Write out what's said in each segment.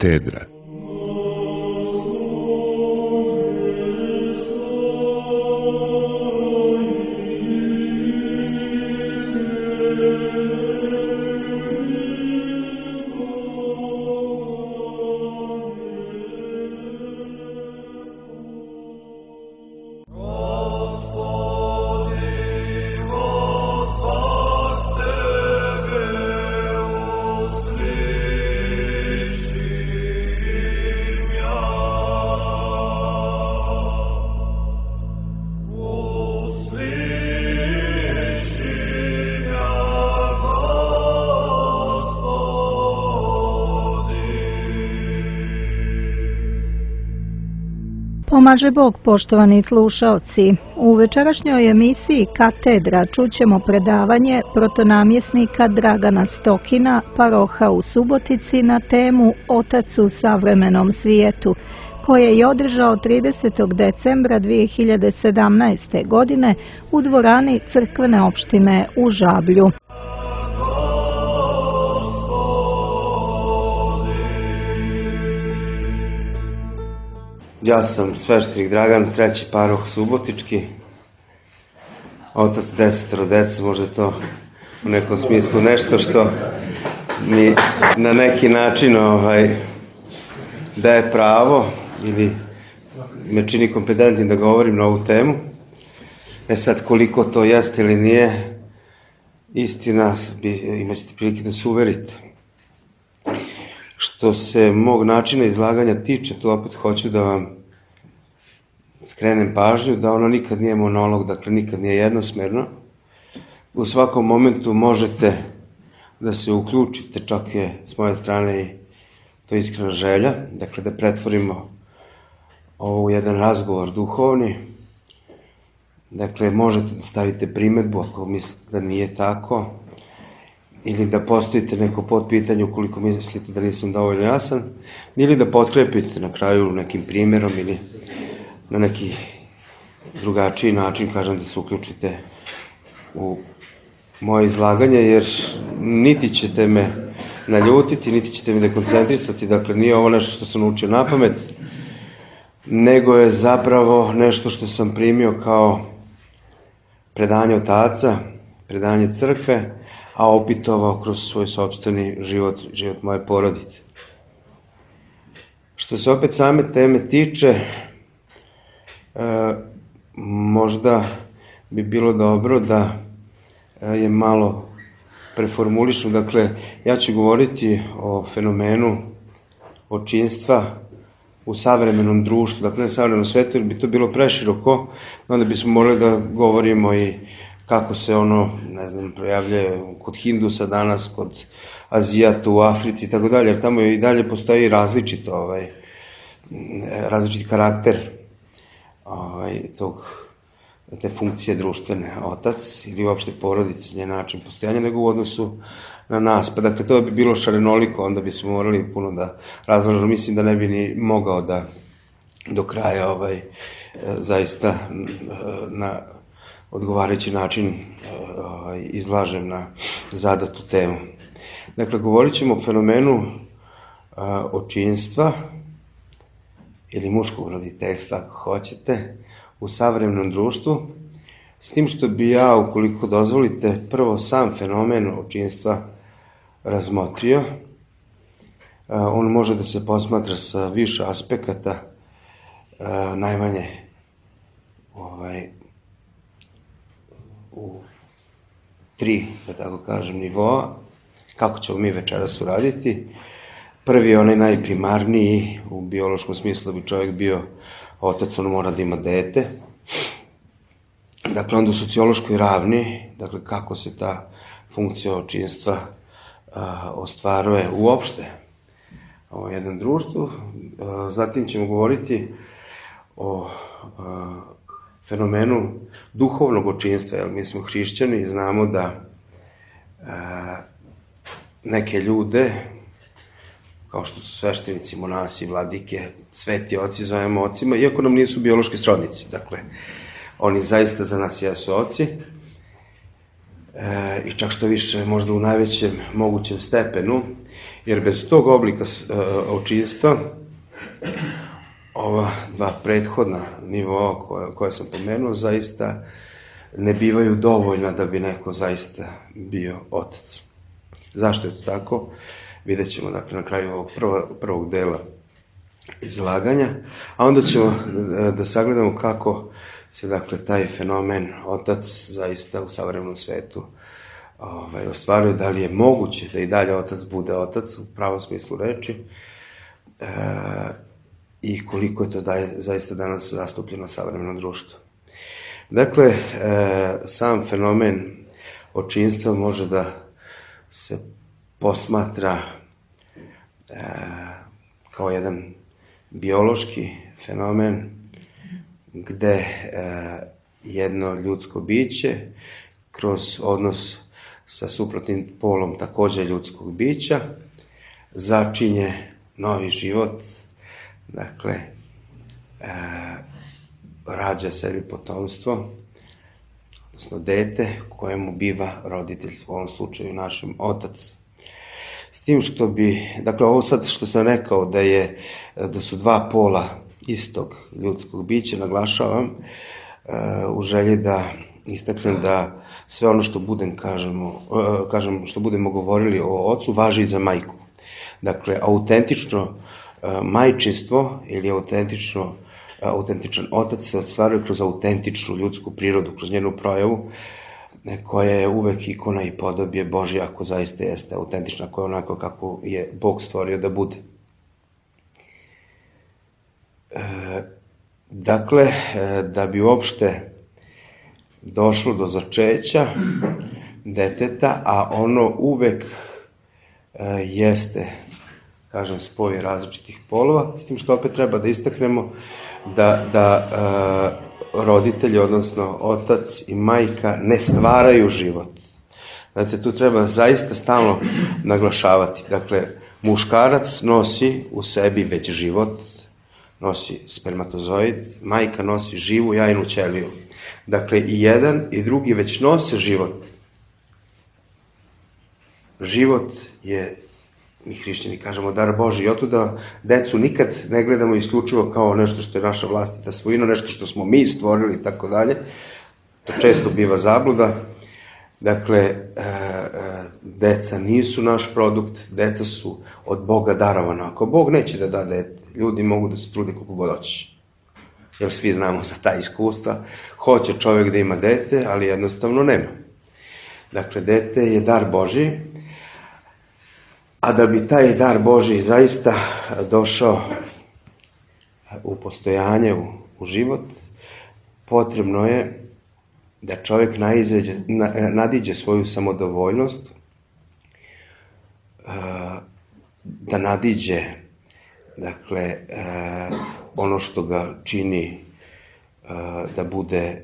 Katedra. Pomaže Bog, poštovani slušaoci. U večerašnjoj emisiji Katedra čućemo predavanje protonamjesnika Dragana Stokina, paroha u Subotici, na temu Otac u savremenom svijetu, koje je održao 30. decembra 2017. godine u dvorani crkvene opštine u Žablju. Ja sam sveštenik Dragan, treći paroh subotički, otac 10 dece, možda to u nekom smislu nešto što mi na neki način daje pravo ili me čini kompetentnim da govorim na ovu temu. Sad, koliko to jeste ili nije, istina, imaćete prilike da se uverite. Što se mog načina izlaganja tiče, to opet hoću da vam skrenem pažnju, da ono nikad nije monolog, dakle nikad nije jednosmerno. U svakom momentu možete da se uključite, čak je s moje strane i to iskrena želja, dakle da pretvorimo ovo u jedan razgovor duhovni. Dakle, možete da stavite primedbu ako mislite da nije tako, ili da postavite neko potpitanje ukoliko mislite da nisam dovoljno jasan, ili da potkrepite na kraju nekim primjerom ili na neki drugačiji način, kažem, da se uključite u moje izlaganje, jer niti ćete me naljutiti, niti ćete me dekoncentrisati, dakle nije ovo nešto što sam naučio na pamet, nego je zapravo nešto što sam primio kao predanje od Oca, predanje crkve, a opitovao kroz svoj sopstveni život, život moje porodice. Što se opet same teme tiče, možda bi bilo dobro da je malo preformulišem. Dakle, ja ću govoriti o fenomenu očinstva u savremenom društvu, dakle ne savremenom svetu, jer bi to bilo preširoko, onda bismo morali da govorimo i kako se ono, ne znam, projavlja kod Hindusa danas, kod Azijata u Africi i tako dalje, jer tamo i dalje postoji različiti karakter te funkcije društvene, otac ili uopšte porodice, njen način postojanja, nego u odnosu na nas. Pa dakle, to bi bilo šarenoliko, onda bismo morali puno da razlažemo. Mislim da ne bi ni mogao da do kraja zaista na odgovarajući način izlažem na zadatu temu. Dakle, govorit ćemo o fenomenu očinstva ili muškog roditeljstva, ako hoćete, u savremenom društvu, s tim što bi ja, ukoliko dozvolite, prvo sam fenomen očinstva razmotrio. On može da se posmatra sa više aspekata, najmanje u 3, da tako kažem, nivoa, kako ćemo mi večeras uraditi. Prvi je onaj najprimarniji, u biološkom smislu da bi čovjek bio otac, on mora da ima dete. Dakle, onda u sociološkoj ravni, dakle, kako se ta funkcija očinstva ostvaruje uopšte u jednom društvu. Zatim ćemo govoriti o fenomenu duhovnog očinstva, jer mi smo hrišćani i znamo da neke ljude, kao što su sveštenici, monasi, vladike, sveti oci, zovemo ocima, iako nam nisu biološki srodnici. Dakle, oni zaista za nas jesu oci, i čak što više, možda u najvećem mogućem stepenu, Jer bez tog oblika očinstva, ova dva prethodna nivoa koje sam pomenuo, zaista ne bivaju dovoljna da bi neko zaista bio otac. Zašto je to tako? Vidjet ćemo dakle, na kraju ovog prvog dela izlaganja, a onda ćemo da sagledamo kako se dakle, taj fenomen otac zaista u savremenom svetu ostvaruje, da li je moguće da i dalje otac bude otac u pravom smislu reči i koliko je to zaista danas zastupljeno savremenom društvu. Dakle, sam fenomen očinstva može da se posmatra kao jedan biološki fenomen gde jedno ljudsko biće kroz odnos sa suprotnim polom takođe ljudskog bića začinje novi život, dakle rađa sebi potomstvo, odnosno dete kojemu biva roditelj, u ovom slučaju našem otac. S tim što bi, dakle ovo sad što sam rekao da su dva pola istog ljudskog bića, naglašavam u želji da istaknem da sve ono što što budemo govorili o ocu važi i za majku. Dakle, autentično majčinstvo ili autentičan otac se ostvaruje kroz autentičnu ljudsku prirodu, kroz njenu projavu, koja je uvek ikona i podobje Božja, ako zaista jeste autentična, koja je onako kako je Bog stvorio da bude. Dakle, da bi uopšte došlo do začeća deteta, a ono uvek jeste, kažem, spoj različitih polova, s tim što opet treba da istaknemo da roditelji, odnosno otac i majka, ne stvaraju život. Znači, tu treba zaista stalno naglašavati. Dakle, muškarac nosi u sebi već život, nosi spermatozoid, majka nosi živu jajnu ćeliju. Dakle, i jedan i drugi već nose život. Život je, mi hrišćani kažemo, dar Božji. I otuda decu nikad ne gledamo isključivo kao nešto što je naša vlastita svojina, nešto što smo mi stvorili i tako dalje. To često biva zabluda. Dakle, deca nisu naš produkt, deca su od Boga darovana. Ako Bog neće da da dete, ljudi mogu da se trudi koliko god hoće. Jer svi znamo za ta iskustva. Hoće čovjek da ima dete, ali jednostavno nema. Dakle, dete je dar Božji, a da bi taj dar Božji zaista došao u postojanje, u život, potrebno je da čovjek nadiđe svoju samodovoljnost, da nadiđe, dakle, ono što ga čini da bude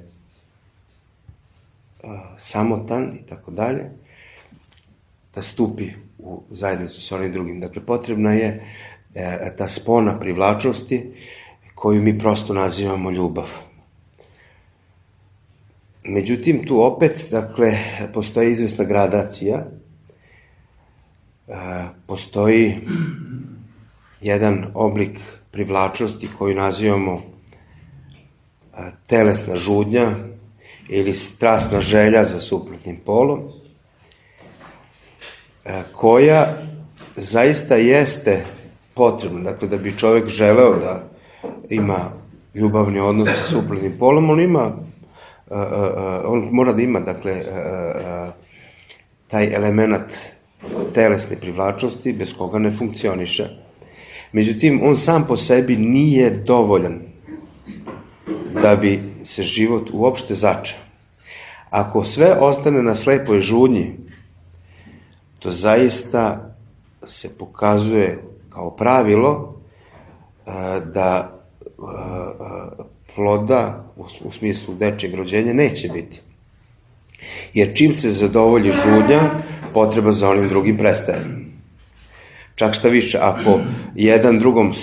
samotan i tako dalje, da stupi u zajednicu sa onim drugim. Dakle, potrebna je ta spona privlačnosti koju mi prosto nazivamo ljubav. Međutim, tu opet, dakle, postoji izvesna gradacija, postoji jedan oblik privlačnosti koju nazivamo telesna žudnja ili strasna želja za suprotnim polom, koja zaista jeste potrebna. Dakle, da bi čovjek želeo da ima ljubavni odnos sa suprotnim polom, on mora da ima, dakle, taj element telesne privlačnosti bez koga ne funkcioniše. Međutim, on sam po sebi nije dovoljan da bi se život uopšte začeo. Ako sve ostane na slepoj žudnji, to zaista se pokazuje kao pravilo da ploda u smislu dečjeg rođenja neće biti. Jer čim se zadovolji žudnja, potreba za onim drugim prestaje. Čak šta više, ako jedan drugom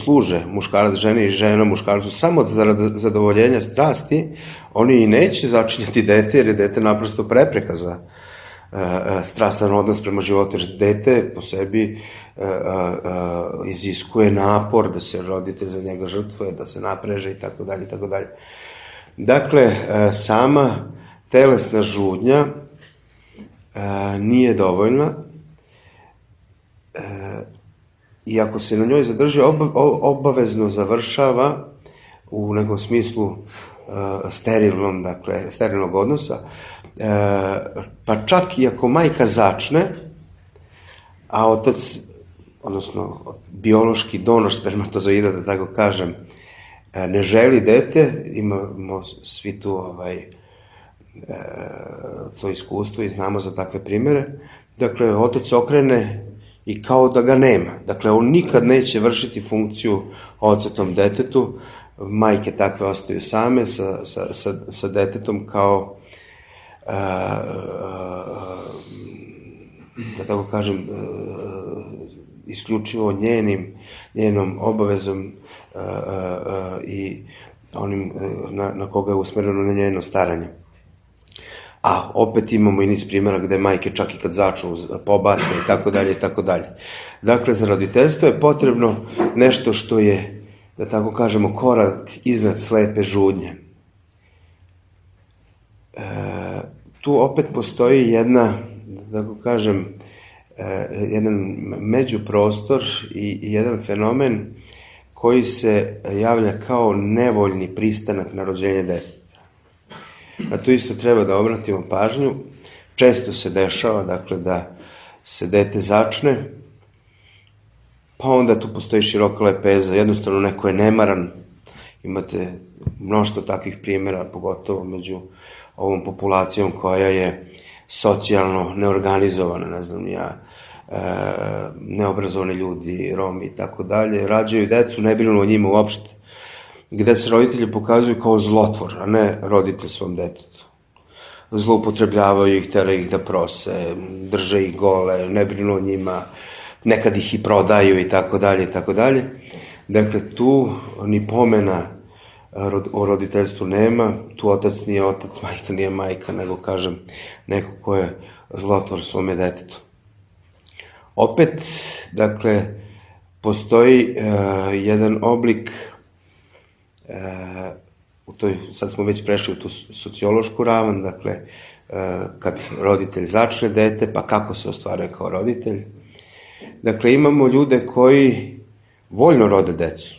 služe, muškarac ženi i žena muškarcu, samo za zadovoljenja strasti, oni i neće začinjati dete, jer je dete naprosto prepreka za strastan odnos prema životu, jer dete po sebi iziskuje napor, da se roditelj za njega žrtvuje, da se napreže i tako dalje, i tako dalje. Dakle, sama telesna žudnja nije dovoljna i ako se na njoj zadrži, obavezno završava u nekom smislu sterilnom, dakle, sterilnog odnosa, pa čak i ako majka začne, a otac, odnosno biološki donor spermatozoida, da tako kažem, ne želi dete, imamo svi tu to iskustvo i znamo za takve primjere, dakle, otac okrene i kao da ga nema. Dakle, on nikad neće vršiti funkciju ocetom detetu, majke takve ostaju same sa detetom kao, da tako kažem, isključivo njenom obavezom i onim na koga je usmjereno na njeno staranje. A opet imamo i niz primjera gde majke čak i kad začnu pobace i tako dalje i tako dalje. Dakle, za roditeljstvo je potrebno nešto što je, da tako kažemo, korak iznad slepe žudnje. Tu opet postoji jedna, da tako kažem, jedan međuprostor i jedan fenomen koji se javlja kao nevoljni pristanak na rođenje deteta. A tu isto treba da obratimo pažnju. Često se dešava, dakle, da se dete začne, pa onda tu postoji široka lepeza, jednostavno neko je nemaran. Imate mnoštvo takvih primjera, pogotovo među ovom populacijom koja je socijalno neorganizovana, ne znam ja, neobrazovani ljudi, Romi i tako dalje, rađaju decu, ne brinu o njima uopšte, gde se roditelji pokazuju kao zlotvor, a ne roditelj svom detetu. Zloupotrebljavaju ih, teraju ih da prose, drže ih gole, ne brinu o njima, nekad ih i prodaju i tako dalje i tako dalje. Dakle, tu ni pomena o roditeljstvu nema, tu otac nije otac, majka nije majka, nego, kažem, neko ko je zlotvor svome detetu. Opet, dakle, postoji jedan oblik, sad smo već prešli u tu sociološku ravan, dakle, kad roditelj začne dete, pa kako se ostvaruje kao roditelj. Dakle, imamo ljude koji voljno rode decu.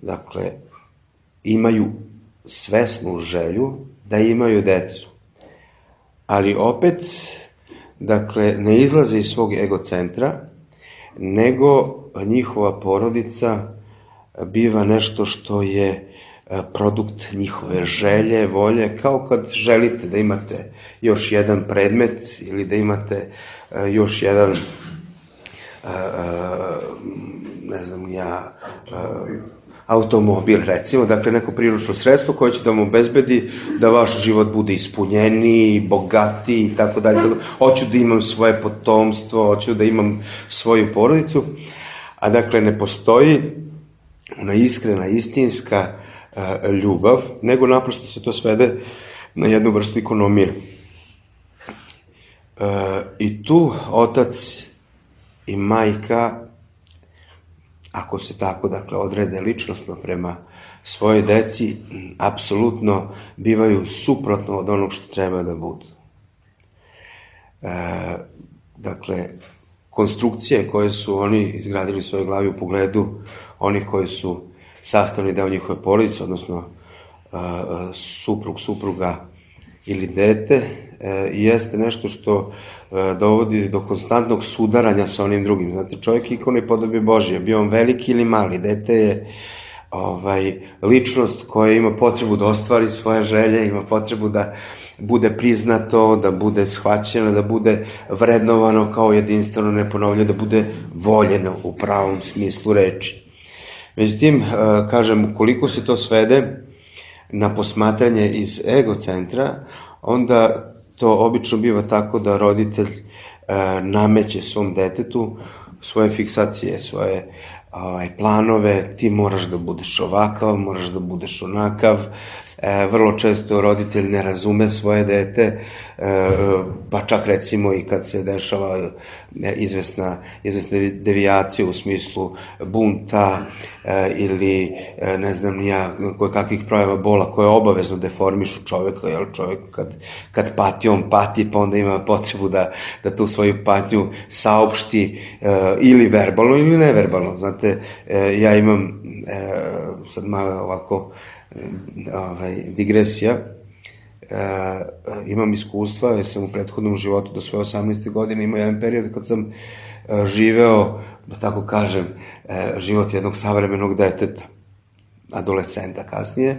Dakle, imaju svesnu želju da imaju decu. Ali opet, dakle, ne izlaze iz svog egocentra, nego njihova porodica biva nešto što je produkt njihove želje, volje, kao kad želite da imate još jedan predmet ili da imate još jedan, ne znam ja, automobil, recimo, dakle neko priručno sredstvo koje će da vam obezbedi da vaš život bude ispunjeniji, bogatiji i tako dalje. Hoću da imam svoje potomstvo, hoću da imam svoju porodicu, a dakle ne postoji ona iskrena, istinska ljubav, nego naprosto se to svede na jednu vrstu ekonomije. I tu otac i majka, ako se tako, dakle, odrede ličnostno prema svojoj deci, apsolutno bivaju suprotno od onog što treba da budu. Dakle, konstrukcije koje su oni izgradili u svojoj glavi u pogledu onih koji su sastavni deo njihove porodice, odnosno suprug, supruga ili dete, jeste nešto što dovodi do konstantnog sudaranja sa onim drugim. Znate, čovjek je ikona i podobe Božje, bio on veliki ili mali, dete je ličnost koja ima potrebu da ostvari svoje želje, ima potrebu da bude priznato, da bude shvaćeno, da bude vrednovano kao jedinstveno, neponovljeno, da bude voljeno u pravom smislu reči. Međutim, kažem, ukoliko se to svede na posmatranje iz egocentra, onda to obično biva tako da roditelj nameće svom detetu svoje fiksacije, svoje planove, ti moraš da budeš ovakav, moraš da budeš onakav, vrlo često roditelj ne razume svoje dete, pa čak recimo i kad se dešava izvesna devijacija u smislu bunta ili ne znam nija koje kakvih projava bola koje obavezno deformišu čoveka, jer čovek kad pati, on pati, pa onda ima potrebu da tu svoju patnju saopšti ili verbalno ili neverbalno. Znate, ja imam sad malo ovako digresija, imam iskustva, jer sam u prethodnom životu do svoje 18. godine imao jedan period kad sam živeo, da tako kažem, život jednog savremenog deteta, adolescenta kasnije.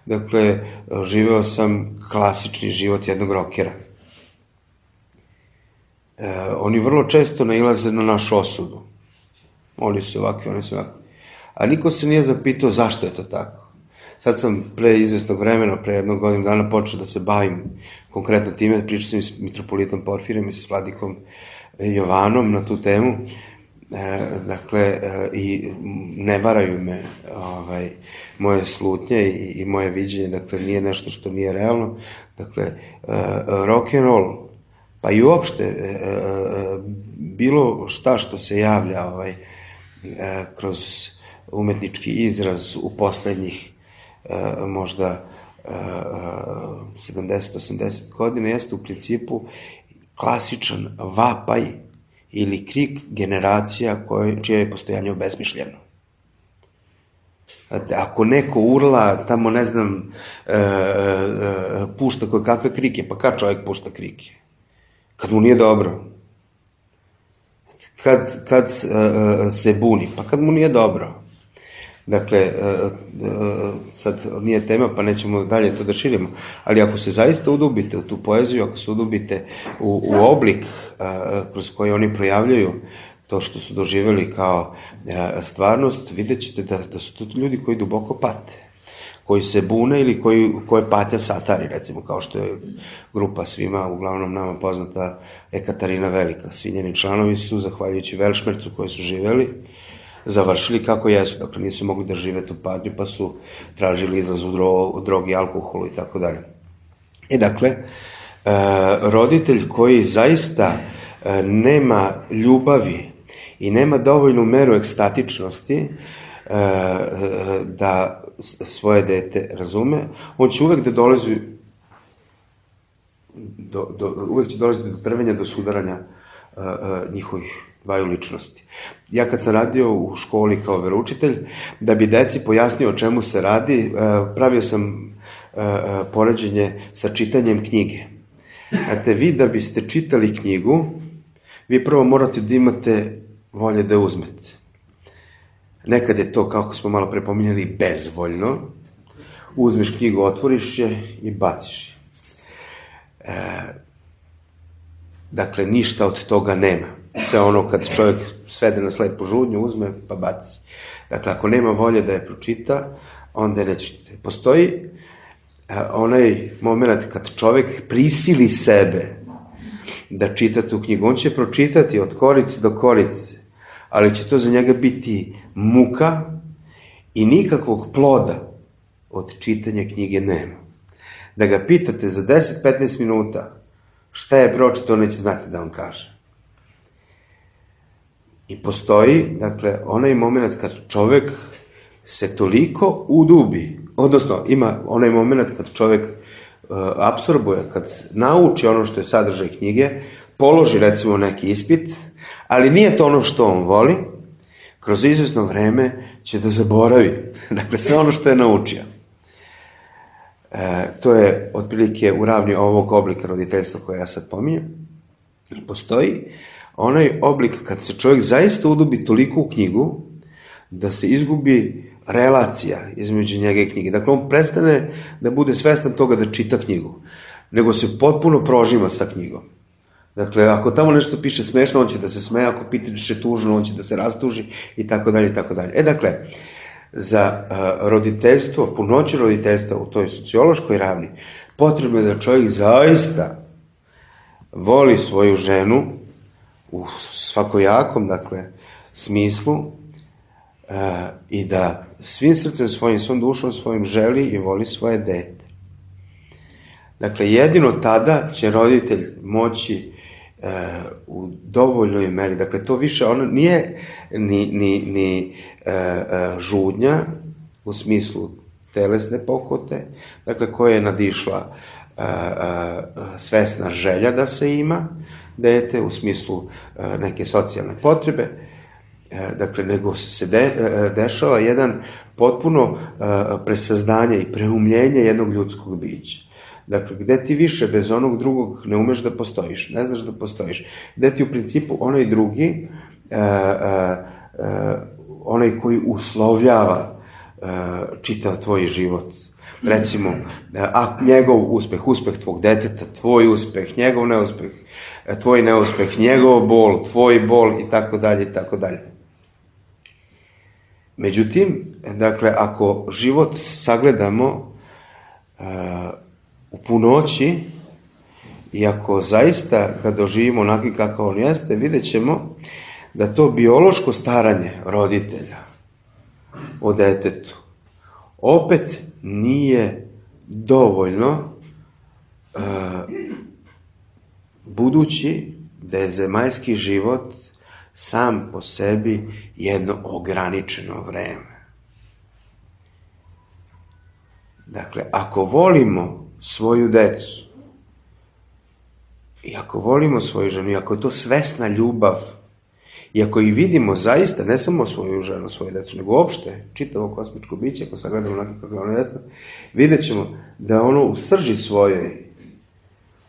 Dakle, živeo sam klasični život jednog rokera. Oni vrlo često nailaze na našu osudu. Oni su ovakvi, oni su ovakvi. A niko se nije zapitao zašto je to tako. Sad sam pre izvesnog vremena, pre jednog godinu dana počeo da se bavim konkretno time, pričao sam i s mitropolitom Porfirijem i s vladikom Jovanom na tu temu. Dakle, i ne varaju me moje slutnje i moje viđenje, dakle, nije nešto što nije realno. Dakle, rock and roll, pa i uopšte bilo šta što se javlja kroz umetnički izraz u poslednjih možda 70-80 godina jeste u principu klasičan vapaj ili krik generacija čije je postojanje obesmišljeno. Ako neko urla, tamo ne znam, pušta koje kakve krike, pa kad čovjek pušta krike? Kad mu nije dobro. Kad se buni, pa kad mu nije dobro. Dakle, sad nije tema, pa nećemo dalje to da širimo, ali ako se zaista udubite u tu poeziju, ako se udubite u oblik kroz koji oni projavljaju to što su doživjeli kao stvarnost, vidjet ćete da su to ljudi koji duboko pate, koji se bune ili koje patnja satari, recimo, kao što je grupa svima, uglavnom nama poznata Ekaterina Velika. Svi njeni članovi su, zahvaljujući Velšmercu koji su živjeli, završili kako jesu, dakle nisu mogli da žive tu patnju, pa su tražili izlaz u drogi, alkoholu i tako dalje. I dakle, roditelj koji zaista nema ljubavi i nema dovoljnu meru ekstatičnosti da svoje dete razume, on će uvek da dolazi do trvenja, do sudaranja njihovih dvaju ličnosti. Ja kad sam radio u školi kao veroučitelj, da bi deci pojasnio o čemu se radi, pravio sam poređenje sa čitanjem knjige. Znate, vi da biste čitali knjigu, vi prvo morate da imate volje da uzmete. Nekad je to, kako smo malo prepominjali, bezvoljno. Uzmeš knjigu, otvoriš je i baciš. Dakle, ništa od toga nema. Sve ono kad čovjek svede na slepu žudnju, uzme pa baci. Dakle, ako nema volje da je pročita, onda je nećete. Postoji onaj moment kad čovjek prisili sebe da čita tu knjigu. On će pročitati od korice do korice, ali će to za njega biti muka i nikakvog ploda od čitanja knjige nema. Da ga pitate za 10-15 minuta šta je pročitao, neće znati da vam kaže. I postoji, dakle, onaj moment kad čovjek se toliko udubi, odnosno ima onaj moment kad čovjek apsorbuje, kad nauči ono što je sadržaj knjige, položi recimo neki ispit, ali nije to ono što on voli, kroz izvesno vreme će da zaboravi, dakle, sve ono što je naučio. To je otprilike u ravni ovog oblika roditeljstva koje ja sad pominjem. Postoji onaj oblik kad se čovjek zaista udubi toliko u knjigu da se izgubi relacija između njega i knjige. Dakle, on prestane da bude svestan toga da čita knjigu, nego se potpuno prožima sa knjigom. Dakle, ako tamo nešto piše smešno, on će da se smeje, ako piše tužno, on će da se rastuži i tako dalje i tako dalje. Dakle, za roditeljstvo, punoću roditeljstva u toj sociološkoj ravni, potrebno je da čovjek zaista voli svoju ženu u svakojakom, dakle, smislu i da svim srcem svojim, svom dušom svojim želi i voli svoje dete. Dakle, jedino tada će roditelj moći u dovoljnoj meri, dakle, to više ono nije ni žudnja u smislu telesne pohote, dakle, koja je nadišla svesna želja da se ima dete u smislu neke socijalne potrebe, dakle, nego se dešava jedan potpuno presazdanje i preumljenje jednog ljudskog bića. Dakle, gde ti više bez onog drugog ne umeš da postojiš, ne znaš da postojiš, gde ti u principu onaj drugi, onaj koji uslovljava čitav tvoj život, recimo, a njegov uspeh, uspeh tvog deteta, tvoj uspeh, njegov neuspeh, tvoj neuspeh, njegov bol, tvoj bol i tako dalje i tako dalje. Međutim, dakle, ako život sagledamo u punoći i ako zaista ga doživimo onaki kako on jeste, vidjet ćemo da to biološko staranje roditelja o detetu opet nije dovoljno, budući da je zemaljski život sam po sebi jedno ograničeno vreme. Dakle, ako volimo svoju decu i ako volimo svoju ženu, i ako je to svesna ljubav, i ako ih vidimo zaista, ne samo svoju ženu, svoju decu, nego uopšte čitavo kosmičko biće, ako sagledamo onako kako je ono jedno, vidjet ćemo da ono u srži svojoj,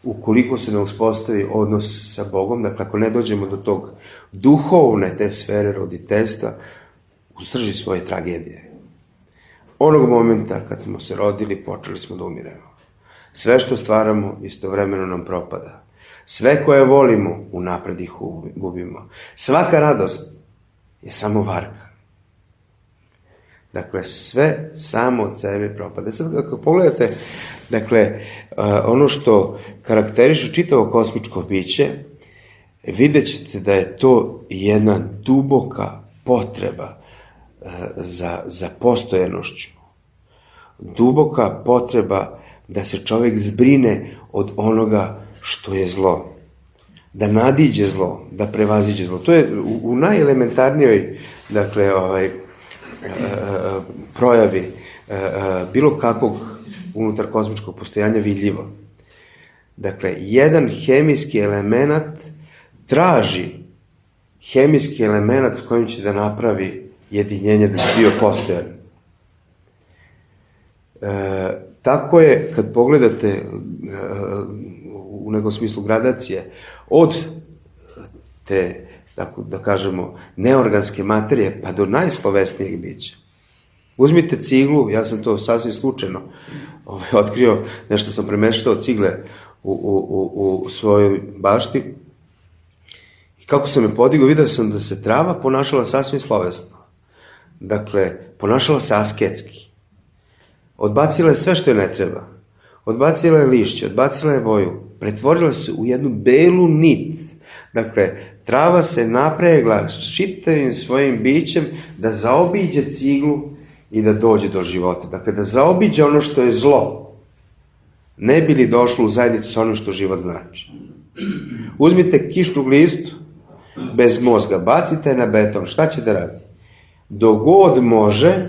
ukoliko se ne uspostavi odnos sa Bogom, dakle ako ne dođemo do tog duhovne te sfere roditeljstva, u srži svoje tragedije. Onog momenta kad smo se rodili, počeli smo da umiremo. Sve što stvaramo istovremeno nam propada. Sve koje volimo, unapred ih gubimo. Svaka radost je samo varka. Dakle, sve samo od sebe propada. Sad, ako pogledate, dakle, ono što karakteriše čitavo kosmičko biće, vidjet ćete da je to jedna duboka potreba za postojanošću. Duboka potreba da se čovjek zbrine od onoga što je zlo. Da nadiđe zlo, da prevaziđe zlo. To je u najelementarnijoj, dakle, projavi bilo kakvog unutar kosmičkog postojanja vidljivo. Dakle, jedan hemijski element traži hemijski element s kojim će da napravi jedinjenje da bi bio postojan. Tako je, kad pogledate u nekom smislu gradacije, od te, tako da kažemo, neorganske materije, pa do najslovesnijeg bića. Uzmite ciglu, ja sam to sasvim slučajno otkrio, nešto sam premeštao cigle u svojoj bašti, i kako sam je podigao, vidio sam da se trava ponašala sasvim slovesno. Dakle, ponašala se asketski. Odbacila je sve što je ne treba. Odbacila je lišće, odbacila je boju. Pretvorila se u jednu belu nit. Dakle, trava se napregla s čitavim svojim bićem da zaobiđe ciglu i da dođe do života. Dakle, da zaobiđe ono što je zlo. Ne bi li došlo u zajednicu sa onim što život znači. Uzmite kišnu glistu bez mozga, bacite na beton, šta će da radi? Dok god može,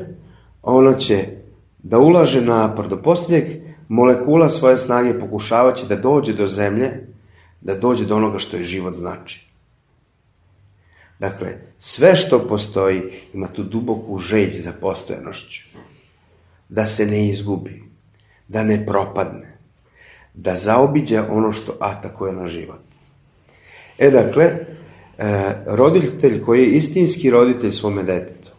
ono će da ulaže napor do posljednjeg molekula svoje snage, pokušavaće da dođe do zemlje, da dođe do onoga što je život znači. Dakle, sve što postoji ima tu duboku želj za postojanošću. Da se ne izgubi, da ne propadne, da zaobiđe ono što atakuje na život. Dakle, roditelj koji je istinski roditelj svome detetu,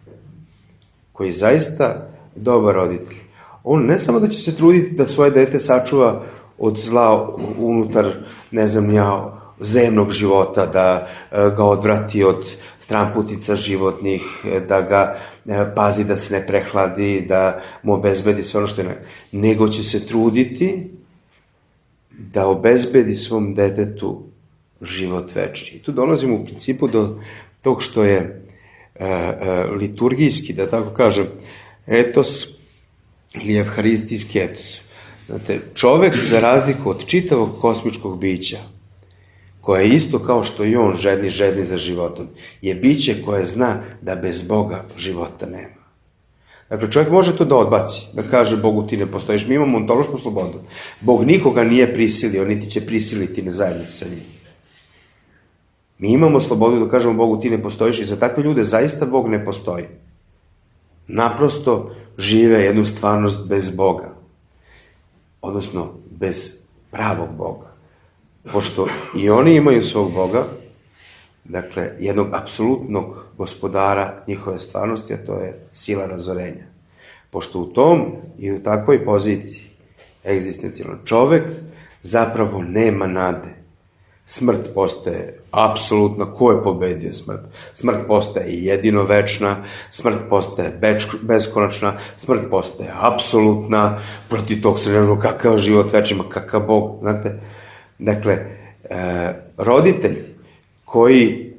koji je zaista dobar roditelj, on ne samo da će se truditi da svoje dete sačuva od zla unutar, ne znam ja, zemnog života, da ga odvrati od stramputica životnih, da ga pazi da se ne prehladi, da mu obezbedi sve ono što je, nego će se truditi da obezbedi svom detetu život večni. I tu dolazimo u principu do tog što je liturgijski, da tako kažem, etos ili evharistijski etos. Znate, čovek, za razliku od čitavog kosmičkog bića, koje je isto kao što i on žedni za životom, je biće koje zna da bez Boga života nema. Dakle, čovjek može to da odbaci, da kaže Bogu ti ne postojiš. Mi imamo ontološku slobodu. Bog nikoga nije prisilio, niti će prisiliti na zajednicu sa njim. Mi imamo slobodu da kažemo Bogu ti ne postojiš i za takve ljude zaista Bog ne postoji. Naprosto žive jednu stvarnost bez Boga. Odnosno, bez pravog Boga. Pošto i oni imaju svog Boga, dakle, jednog apsolutnog gospodara njihove stvarnosti, a to je sila razorenja. Pošto u tom i u takvoj poziciji egzistencijalno čovek zapravo nema nade. Smrt postaje apsolutna. Ko je pobedio smrt? Smrt postaje jedino večna, smrt postaje beskonačna, smrt postaje apsolutna, protiv tog se ne kakav život večima, kakav Bog, znate. Dakle, roditelj koji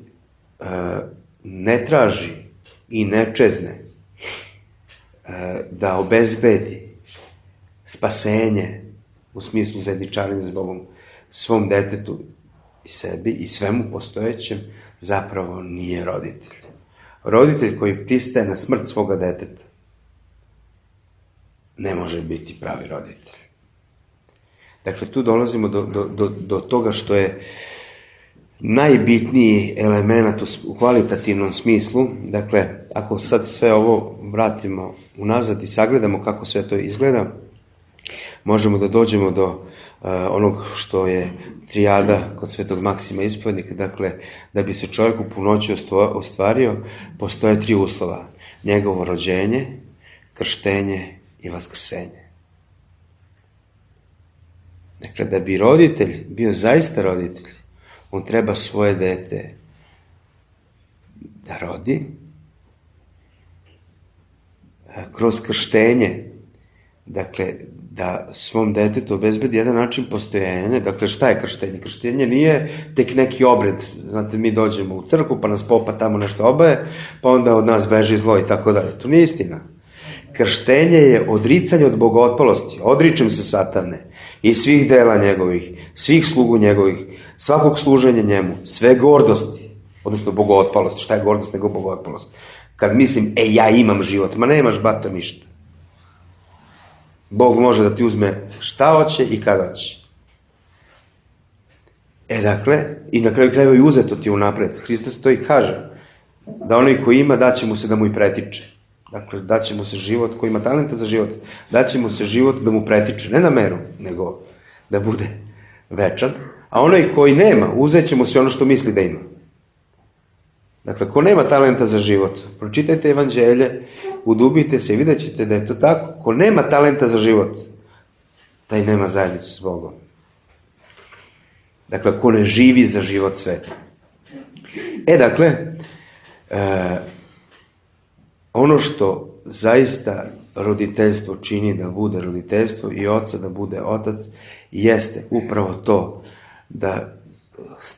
ne traži i ne čezne da obezbedi spasenje u smislu zajedničarenja s Bogom svom detetu i sebi i svemu postojećem, zapravo nije roditelj. Roditelj koji pristaje na smrt svoga deteta ne može biti pravi roditelj. Dakle, tu dolazimo do toga što je najbitniji element u kvalitativnom smislu. Dakle, ako sad sve ovo vratimo unazad i sagledamo kako sve to izgleda, možemo da dođemo do onog što je trijada kod Svetog Maksima Ispovjednika. Dakle, da bi se čovjek u punoći ostvario, postoje 3 uslova. Njegovo rođenje, krštenje i vaskrsenje. Dakle, da bi roditelj bio zaista roditelj, on treba svoje dete da rodi, kroz krštenje, dakle, da svom detetu obezbedi jedan način postojanja. Dakle, šta je krštenje? Krštenje nije tek neki obred. Znate, mi dođemo u crkvu, pa nas popa tamo nešto obaje, pa onda od nas beži zlo i tako dalje. To nije istina. Krštenje je odricanje od bogotpalosti. Odričem se satane i svih dela njegovih, svih slugu njegovih, svakog služenja njemu, sve gordosti, odnosno bogotpalosti. Šta je gordost nego bogotpalost? Kad mislim, ja imam život, ma nemaš bato ništa. Bog može da ti uzme šta hoće i kada hoće. Dakle, i na kraju krajeva i uzeto ti unapred. Hristos to i kaže, da onaj ko ima, daće mu se da mu i pretiče. Dakle, daće mu se život, ko ima talenta za život, daće mu se život da mu pretiče, ne na meru, nego da bude večan. A onaj koji nema, uzet će mu se ono što misli da ima. Dakle, ko nema talenta za život, pročitajte evanđelje, udubite se i vidjet ćete da je to tako. Ko nema talenta za život, taj nema zajednicu s Bogom. Dakle, ko ne živi za život sveta. Dakle, ono što zaista roditeljstvo čini da bude roditeljstvo i oca da bude otac, jeste upravo to da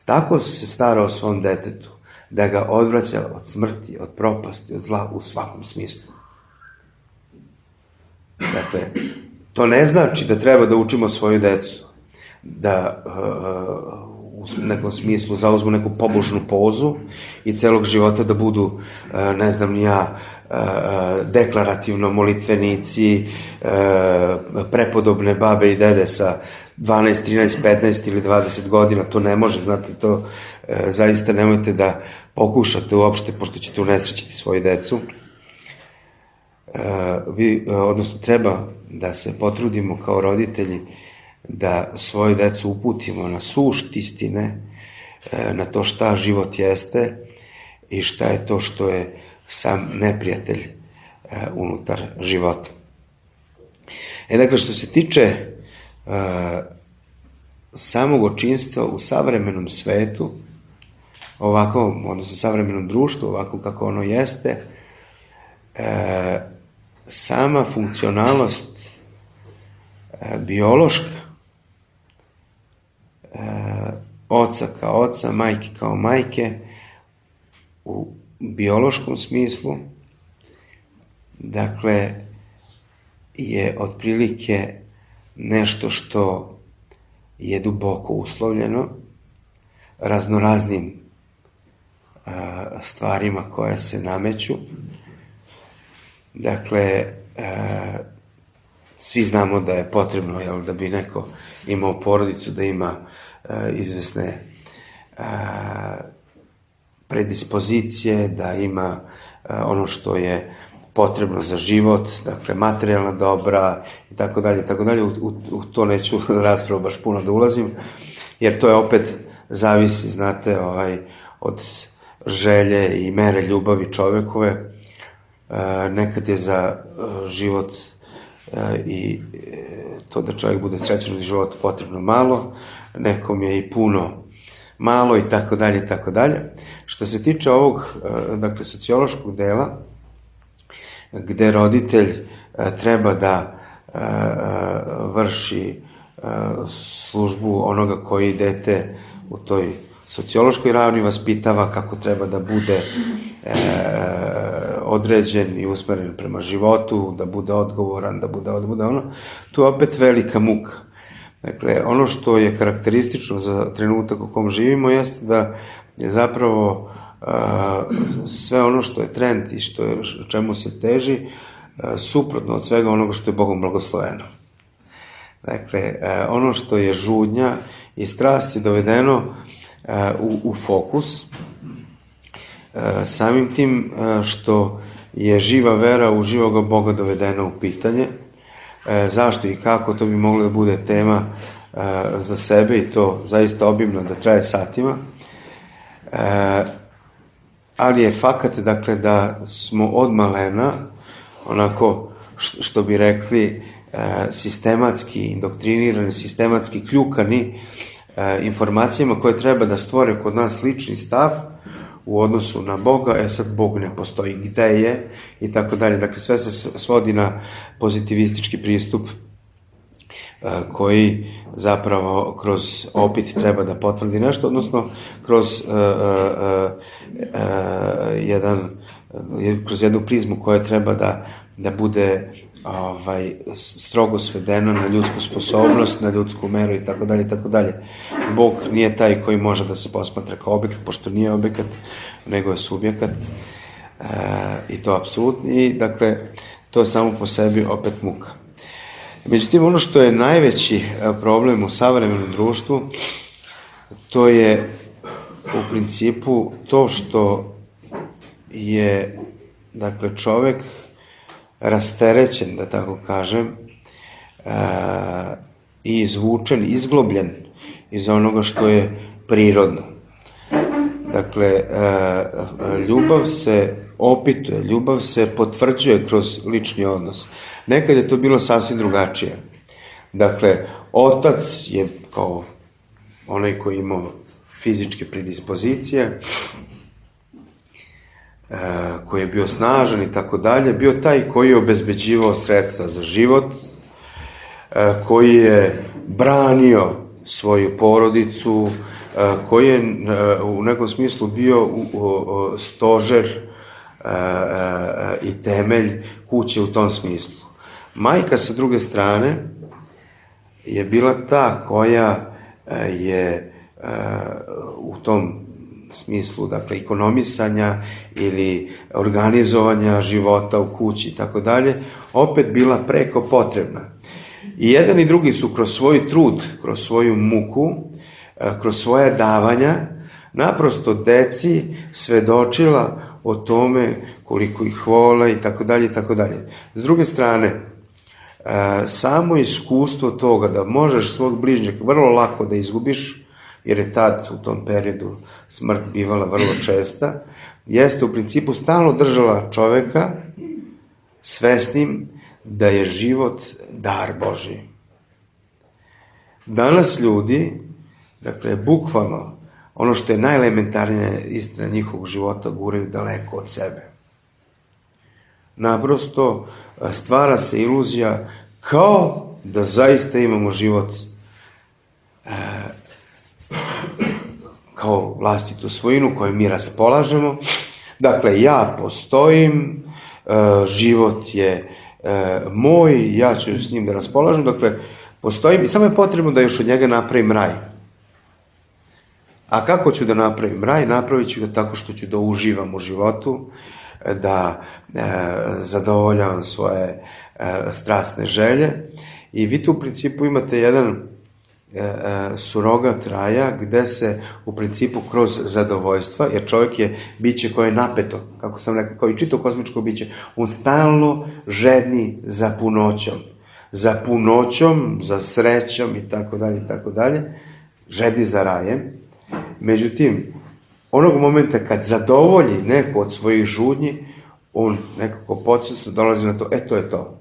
tako se stara o svom detetu, da ga odvraća od smrti, od propasti, od zla u svakom smislu. Dakle, to ne znači da treba da učimo svoju decu, da u nekom smislu zauzmu neku pobožnu pozu i celog života da budu, ne znam ni ja, deklarativno molitvenici, prepodobne babe i dede sa 12, 13, 15 ili 20 godina. To ne može, znate, to zaista nemojte da pokušate uopšte, pošto ćete unesrećiti svoju decu. Odnosno, treba da se potrudimo kao roditelji da svoju decu uputimo na sušt istine, na to šta život jeste i šta je to što je sam neprijatelj unutar života. Dakle, što se tiče samog očinstva u savremenom svetu, ovako, odnosno savremenom društvu, ovako kako ono jeste, sama funkcionalnost biološka, oca kao oca, majke kao majke, u biološkom smislu, dakle, je otprilike nešto što je duboko uslovljeno raznoraznim stvarima koje se nameću. Dakle, svi znamo da je potrebno, da bi neko imao porodicu, da ima izvesne predispozicije, da ima ono što je potrebno za život, dakle materijalna dobra i tako dalje, tako dalje. U to neću raspravu baš puno da ulazim, jer to je opet zavisi, znate, od želje i mere ljubavi čovekove. Nekad je za život i to da čovjek bude srećan u životu potrebno malo, nekom je i puno malo i tako dalje, tako dalje. Što se tiče ovog, dakle, sociološkog dela, gde roditelj treba da vrši službu onoga koji dete u toj sociološkoj ravni vaspitava, kako treba da bude određen i usmeren prema životu, da bude odgovoran, da bude ono, tu je opet velika muka. Dakle, ono što je karakteristično za trenutak u kom živimo jeste da je zapravo sve ono što je trend i čemu se teži suprotno od svega onoga što je Bogom blagosloveno. Dakle, ono što je žudnja i strast je dovedeno u fokus, samim tim što je živa vera u živoga Boga dovedena u pitanje. Zašto i kako, to bi moglo da bude tema za sebe i to zaista obimno da traje satima. Ali je fakat, dakle, da smo od malena, onako što bi rekli, sistematski indoktrinirani, sistematski kljukani informacijama koje treba da stvore kod nas lični stav u odnosu na Boga. Sad Bog ne postoji, gde je i tako dalje. Dakle, sve se svodi na pozitivistički pristup koji zapravo kroz opit treba da potvrdi nešto, odnosno kroz jednu prizmu koja treba da bude strogo svedena na ljudsku sposobnost, na ljudsku meru i tako dalje, tako dalje. Bog nije taj koji može da se posmatra kao objekat, pošto nije objekat, nego je subjekat, i to apsolutno. I dakle, to je samo po sebi opet muka. Međutim, ono što je najveći problem u savremenom društvu, to je u principu to što je, dakle, čovek rasterećen, da tako kažem, i izvučen, izglobljen iz onoga što je prirodno. Dakle, ljubav se opituje, ljubav se potvrđuje kroz lični odnos. Nekad je to bilo sasvim drugačije. Dakle, otac je kao onaj koji imao fizičke predispozicije, koji je bio snažan i tako dalje, bio taj koji je obezbeđivao sredstva za život, koji je branio svoju porodicu, koji je u nekom smislu bio stožer i temelj kuće u tom smislu. Majka, sa druge strane, je bila ta koja je u tom smislu, dakle, ekonomisanja ili organizovanja života u kući i tako dalje, opet bila preko potrebna. I jedan i drugi su kroz svoj trud, kroz svoju muku, kroz svoje davanja, naprosto deci svedočila o tome koliko ih vole i tako dalje i tako dalje. S druge strane, samo iskustvo toga da možeš svog bližnjeg vrlo lako da izgubiš, jer je tad u tom periodu smrt bivala vrlo česta, jeste u principu stalno držala čoveka svesnim da je život dar Božji. Danas ljudi, dakle, bukvalno, ono što je najelementarnija istina njihovog života guraju daleko od sebe. Naprosto stvara se iluzija kao da zaista imamo život kao vlastitu svojinu koju mi raspolažemo. Dakle, ja postojim, život je moj, ja ću s njim da raspolažem. Dakle, Postoji, samo je potrebno da još od njega napravim raj. A kako ću da napravim raj? Napravit ću ga tako što ću da uživam u životu, da zadovoljavam svoje strasne želje. I vi tu u principu imate jedan surogat raja gde se u principu kroz zadovoljstva, jer čovjek je biće koje je napeto, kako sam rekao, kao i čito kozmičko biće, on stalno žedni za punoćom, za srećom i tako dalje, žedni za rajem. Međutim, onog momenta kad zadovolji neko od svojih žudnji, on nekako podsvesno dolazi na to, to je to.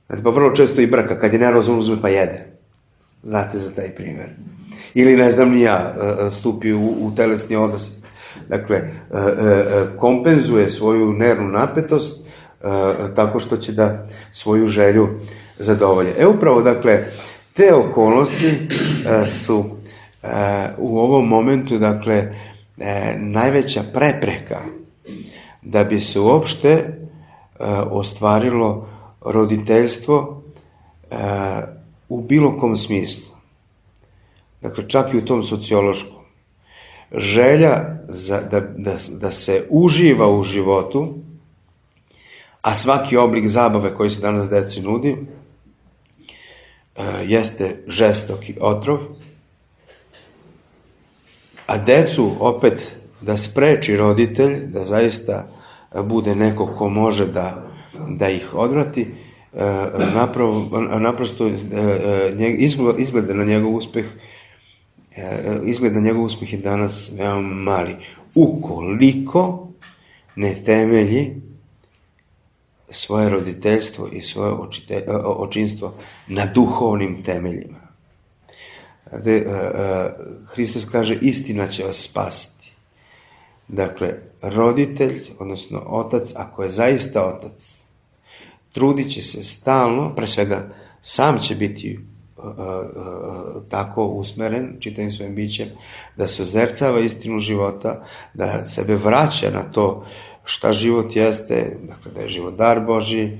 Znači, pa vrlo često i brka, kad je nervozan uzme pa jede. Znate za taj primjer. Ili, ne znam ni ja, stupi u telesni odnos. Dakle, kompenzuje svoju nervnu napetost tako što će da svoju želju zadovolje. Upravo, dakle, te okolnosti su u ovom momentu, dakle, najveća prepreka da bi se uopšte ostvarilo roditeljstvo u bilo kom smislu. Dakle, čak i u tom sociološkom. Želja da se uživa u životu, a svaki oblik zabave koji se danas deci nudi, jeste žestoki otrov, a decu opet da spreči roditelj, da zaista bude neko ko može da ih odvrati, naprosto izgled na njegov uspeh je danas veoma mali. Ukoliko ne temelji svoje roditeljstvo i svoje očinstvo na duhovnim temeljima. Hristos kaže, istina će vas spasiti. Dakle, roditelj, odnosno otac, ako je zaista otac, trudit će se stalno, pre svega sam će biti tako usmeren, čitavim svojim bićem, da se ozercava istinu života, da sebe vraća na to šta život jeste, dakle da je život dar Božji,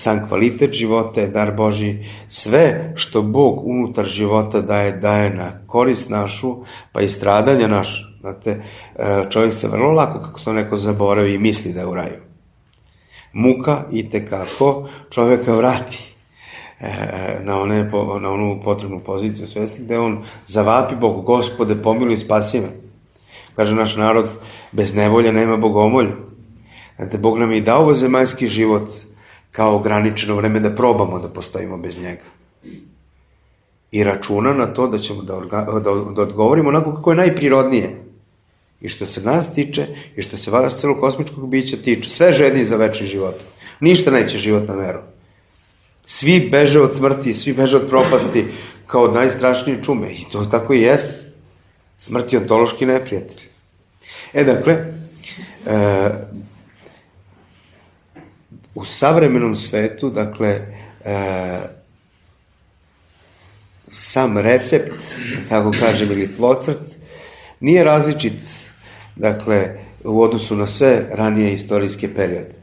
sam kvalitet života je dar Božji, sve što Bog unutar života daje na korist našu, pa i stradanja našu. Znate, čovjek se vrlo lako, kako se neko zaboravi i misli da je u raju. Muka itekako čovjeka vrati na onu potrebnu poziciju svesti, gde on zavapi Bogu, Gospode, pomiluj, spasi me. Kaže naš narod, bez nevolje nema bogomolja. Znate, Bog nam je i dao ovo zemaljski život kao ograničeno vreme da probamo da postojimo bez njega. I računa na to da ćemo da odgovorimo onako kako je najprirodnije. I što se nas tiče, i što se vas celog kosmičkog bića tiče, sve žedni za večni život. Ništa neće život na meru. Svi beže od smrti, svi beže od propasti kao od najstrašnije čume. I to tako i jeste. Smrt je ontološki neprijatelj. Dakle, u savremenom svetu, dakle, sam recept, tako kažem, ili tlocrt, nije različit, dakle, u odnosu na sve ranije istorijske periode.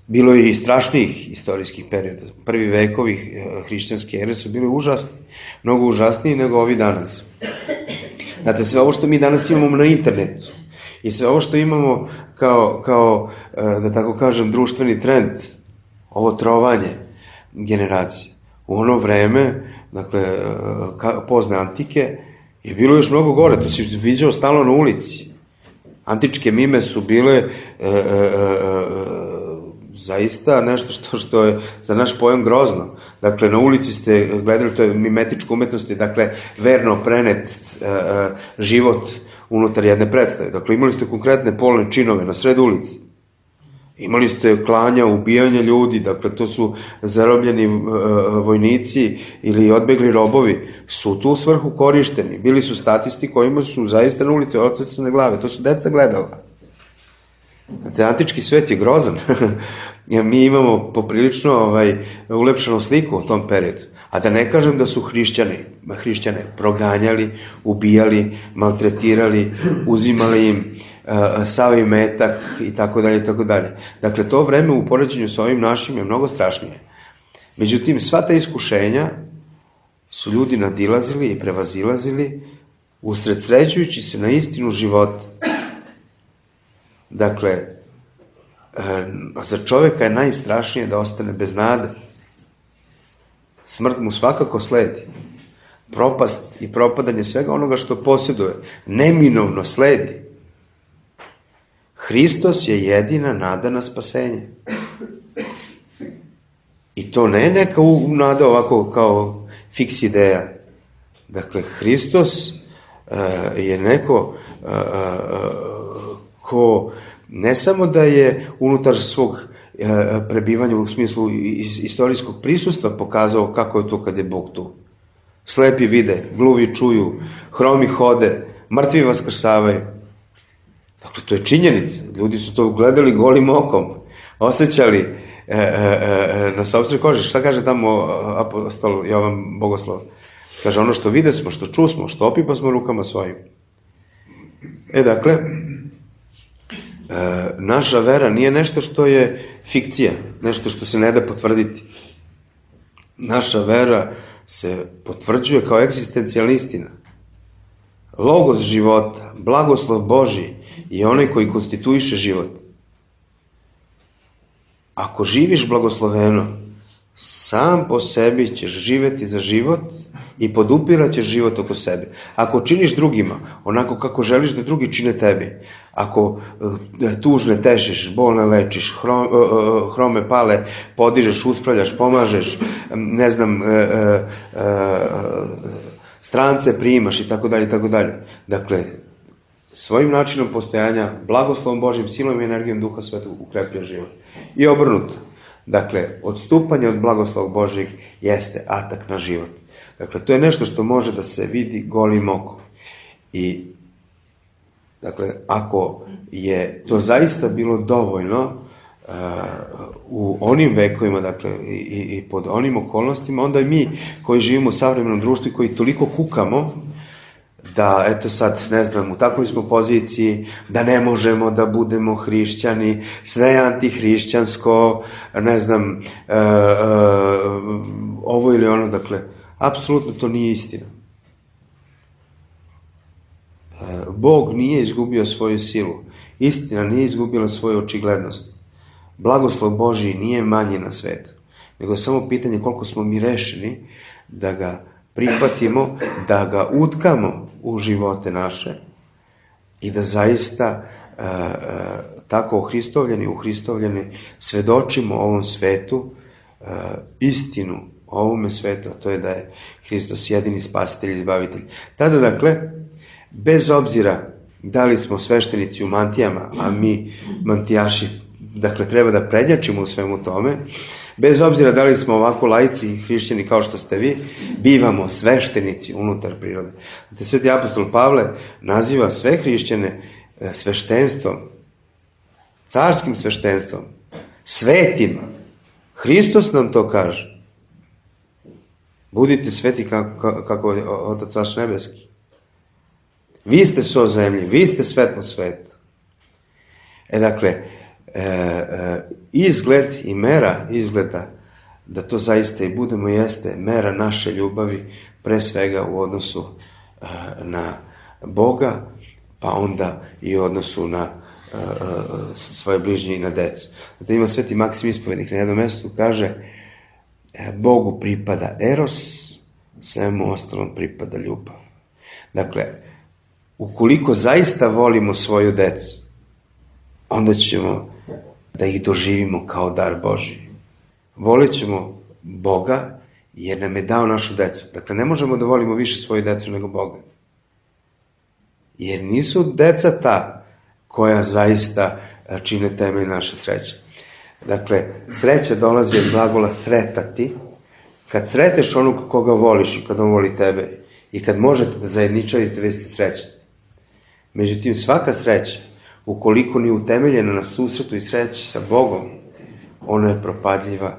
Bilo je i strašnijih istorijskih perioda. Prvi vekovi hrišćanske ere su bili užasni, mnogo užasniji nego ovi danas. Znate, sve ovo što mi danas imamo na internetu i sve ovo što imamo kao da tako kažem, društveni trend, ovo trovanje generacije. U ono vreme, dakle, pozne antike, je bilo još mnogo gore, to si viđao stalno na ulici. Antičke mime su bile zaista nešto što je za naš pojam grozno. Dakle, na ulici ste gledali, to je mimetička umetnost, dakle, verno prenet život unutar jedne predstave. Dakle, imali ste konkretne polne činove na sred ulici. Imali ste klanja, ubijanja ljudi, dakle, to su zarobljeni vojnici ili odbegli robovi, su tu svrhu korišteni. Bili su statisti kojima su zaista na ulici odsecane glave, to su deca gledala. Znate, antički svet je grozan. Mi imamo poprilično ulepšanu sliku u tom periodu. A da ne kažem da su hrišćane proganjali, ubijali, maltretirali, uzimali im sav imetak i tako dalje i tako dalje. Dakle, to vreme u poređenju sa ovim našim je mnogo strašnije. Međutim, sva ta iskušenja su ljudi nadilazili i prevazilazili usredsređujući se na istinu života. Dakle, za čovjeka je najstrašnije da ostane bez nade. Smrt mu svakako sledi. Propast i propadanje svega onoga što posjeduje neminovno sledi. Hristos je jedina nada na spasenje. I to ne je neka nada ovako kao fiks ideja. Dakle, Hristos je neko ko ne samo da je unutar svog prebivanja u smislu istorijskog prisustva pokazao kako je to kad je Bog tu. Slepi vide, gluvi čuju, hromi hode, mrtvi vaskrsavaju. Dakle, to je činjenica. Ljudi su to gledali golim okom, osjećali na sopstvenoj koži. Šta kaže tamo apostol Jovan Bogoslov? Kaže, ono što vide smo, što čusmo, što opipa smo rukama svojim. Dakle, naša vera nije nešto što je fikcija, nešto što se ne da potvrditi. Naša vera se potvrđuje kao egzistencijalna istina. Logos života, blagoslov Božji je onaj koji konstituiše život. Ako živiš blagosloveno, sam po sebi ćeš živeti za život i podupirat ćeš život oko sebe. Ako činiš drugima onako kako želiš da drugi čine tebi, ako tužne tešiš, bolne lečiš, hrome pale podižeš, uspravljaš, pomažeš, ne znam, strance primaš i tako dalje, i tako dalje. Dakle, svojim načinom postojanja, blagoslovom Božjim, silom i energijom Duha Svetog ukrepljuje život. I obrnuto. Dakle, odstupanje od blagoslova Božjeg jeste atak na život. Dakle, to je nešto što može da se vidi golim okom. I, dakle, ako je to zaista bilo dovoljno u onim vekovima, dakle, i pod onim okolnostima, onda i mi koji živimo u savremenom društvu i koji toliko kukamo, da, eto sad, ne znam, u takvoj smo poziciji, da ne možemo da budemo hrišćani, sve je antihrišćansko, ne znam, ovo ili ono, dakle, apsolutno to nije istina. Bog nije izgubio svoju silu, istina nije izgubila svoju očiglednost. Blagoslov Božji nije manji na svetu, nego je samo pitanje koliko smo mi rešeni da ga prihvatimo, da ga utkamo u živote naše i da zaista tako uhristovljeni svedočimo ovom svetu istinu o ovome svetu, a to je da je Hristos jedini spasitelj i izbavitelj. Tada, dakle, bez obzira da li smo sveštenici u mantijama, a mi mantijaši, dakle, treba da prednjačimo u svemu tome, bez obzira da li smo ovako laici i hrišćani kao što ste vi, bivamo sveštenici unutar prirode. Sveti apostol Pavle naziva sve hrišćane sveštenstvom, carskim sveštenstvom, svetima. Hristos nam to kaže. Budite sveti kako je Otac vaš nebeski. Vi ste so zemlji, vi ste svetlo sveta. Dakle, izgled i mera izgleda da to zaista i budemo jeste mera naše ljubavi, pre svega u odnosu na Boga, pa onda i u odnosu na svoje bližnje i na decu. Da ima Sveti Maksim Ispovednik na jednom mjestu kaže Bogu pripada eros, svemu ostalom pripada ljubav. Dakle, ukoliko zaista volimo svoju decu, onda ćemo da ih doživimo kao dar Božji. Volit ćemo Boga jer nam je dao našu decu. Dakle, ne možemo da volimo više svoju decu nego Boga. Jer nisu deca ta koja zaista čine temelj naše sreće. Dakle, sreća dolazi od glagola sretati. Kad sreteš onog koga voliš i kad on voli tebe i kad možete da zajedničavite, vi ste srećni. Međutim, svaka sreća, ukoliko nije utemeljena na susretu i sreći sa Bogom, ona je propadljiva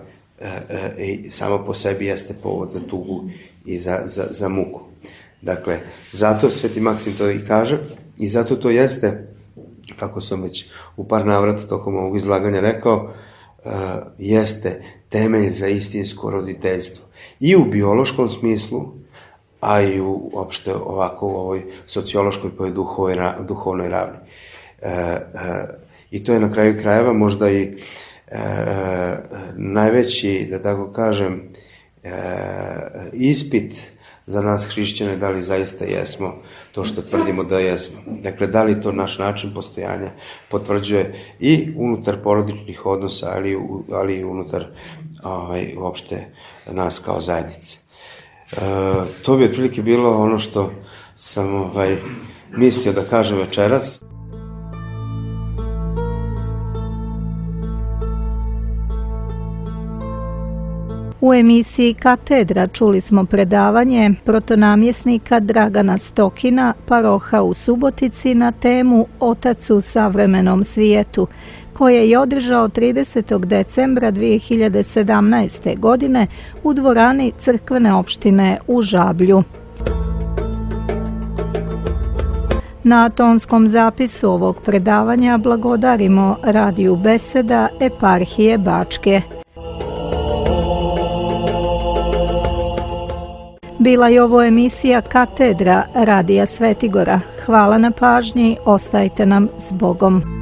i samo po sebi jeste povod za tugu i za muku. Dakle, zato Sveti Maksim to i kaže i zato to jeste, kako sam već u par navrata tokom ovog izlaganja rekao, jeste temelj za istinsko roditeljstvo. I u biološkom smislu, a i uopšte ovako u ovoj sociološkoj pa i duhovnoj ravni. I to je na kraju krajeva možda i najveći, da tako kažem, ispit za nas hrišćane, da li zaista jesmo to što tvrdimo da jesmo. Dakle, da li to naš način postojanja potvrđuje i unutar porodičnih odnosa, ali i unutar uopšte nas kao zajednice. To bi otprilike bilo ono što sam mislio da kažem večeras. U emisiji Katedra čuli smo predavanje protonamjesnika Dragana Stokina, paroha u Subotici, na temu Otac u savremenom svijetu, koje je održao 30. decembra 2017. godine u dvorani crkvene opštine u Žablju. Na tonskom zapisu ovog predavanja blagodarimo Radiju Beseda eparhije Bačke. Bila je ovo emisija Katedra Radija Svetigora. Hvala na pažnji, ostajte nam s Bogom.